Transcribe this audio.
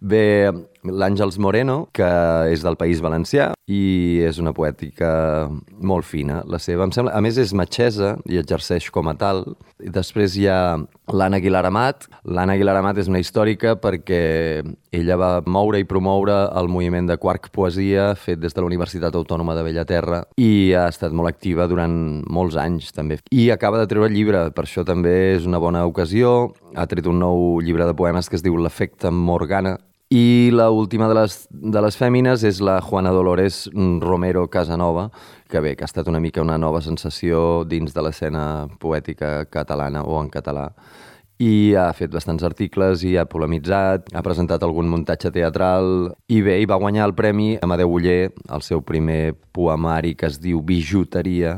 Bé, l'Àngels Moreno, que és del País Valencià i és una poètica molt fina. La seva, em sembla, a més és metgessa i exerceix com a tal. I després hi ha l'Anna Aguilar Amat. L'Anna Aguilar Amat és una històrica perquè ella va moure i promoure el moviment de Quark Poesia fet des de la Universitat Autònoma de Bellaterra i ha estat molt activa durant molts anys també. I acaba de treure llibre, per això també és una bona ocasió. Ha tret un nou llibre de poemes que es diu L'efecte Morgana. I l'última de les fèmines és la Juana Dolores Romero Casanova, que bé, que ha estat una mica una nova sensació dins de l'escena poètica catalana o en català. I ha fet bastants articles i ha polemitzat, ha presentat algun muntatge teatral i bé, i va guanyar el premi Amadeu Oller, el seu primer poemari que es diu Bijuteria,